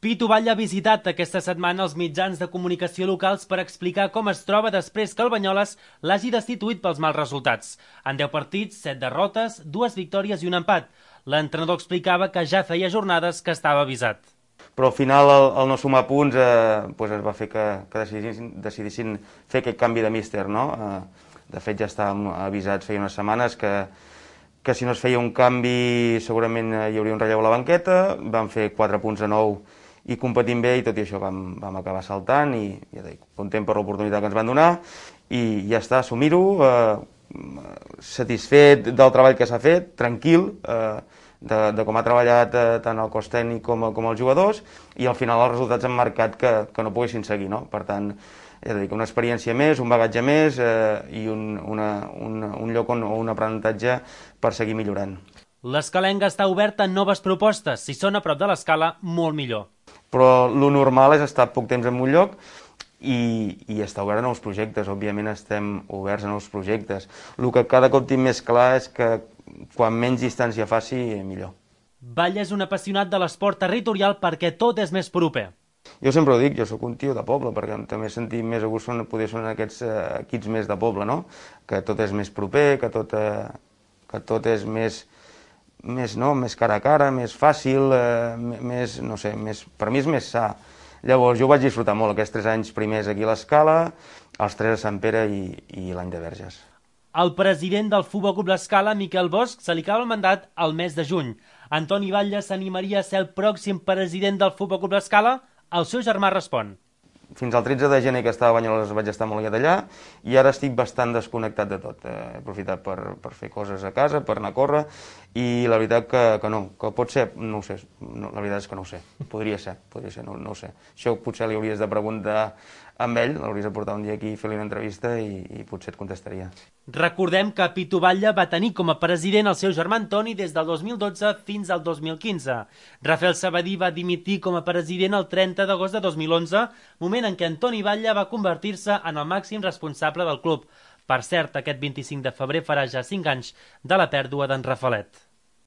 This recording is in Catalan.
Pitu Batlle ha visitat aquesta setmana els mitjans de comunicació locals per explicar com es troba després que el Banyoles l'hagi destituït pels mals resultats. En 10 partits, 7 derrotes, 2 victòries i un empat. L'entrenador explicava que ja feia jornades que estava avisat. Però al final, al no sumar punts, es va fer que decidissin fer aquest canvi de míster, no? De fet, ja estàvem avisats feia unes setmanes que si no es feia un canvi segurament hi hauria un relleu a la banqueta. Vam fer 4 punts a 9 i competint bé, i tot i això vam acabar saltant, i ja dic, content per l'oportunitat que ens van donar, i ja està, assumir-ho, satisfet del treball que s'ha fet, tranquil, de com ha treballat tant el cos tècnic com els jugadors, i al final els resultats han marcat que no poguessin seguir, no? Per tant, ja dic, una experiència més, un bagatge més i un lloc o un aprenentatge per seguir millorant. L'Escalenga està oberta a noves propostes. Si són a prop de l'escala, molt millor. Però lo normal és estar poc temps en un lloc i estar obert a nous projectes. Òbviament estem oberts a nous projectes. El que cada cop tinc més clar és que quan menys distància faci, millor. Batlle és un apassionat de l'esport territorial perquè tot és més proper. Jo sempre ho dic, jo sóc un tio de poble, perquè també he sentit més a gust poder són aquests equips més de poble, no? Que tot és més proper, que tot és més cara a cara, més fàcil, més, no sé, per mi és més sa. Llavors jo vaig disfrutar molt aquests 3 anys primers aquí a l'Escala, els 3 a Sant Pere i l'any de Verges. El president del Futbol Club L'Escala, Miquel Bosch, se li acaba el mandat al mes de juny. Antoni Batlle s'animaria a ser el pròxim president del Futbol Club L'Escala? El seu germà respon. Fins al 13 de gener que estava a Banyoles vaig estar molt liat allà, i ara estic bastant desconnectat de tot. He aprofitat per fer coses a casa, per anar a córrer, i la veritat que no, que pot ser, no ho sé, no, la veritat és que no ho sé, podria ser, no ho sé. Això potser li hauries de preguntar amb ell, l'hauries de portar un dia aquí i fer-li una entrevista i potser et contestaria. Recordem que Pitu Batlle va tenir com a president el seu germà Antoni des del 2012 fins al 2015. Rafael Sabadí va dimitir com a president el 30 d'agost de 2011, moment en què Antoni Batlle va convertir-se en el màxim responsable del club. Per cert, aquest 25 de febrer farà ja 5 anys de la pèrdua d'en Rafalet.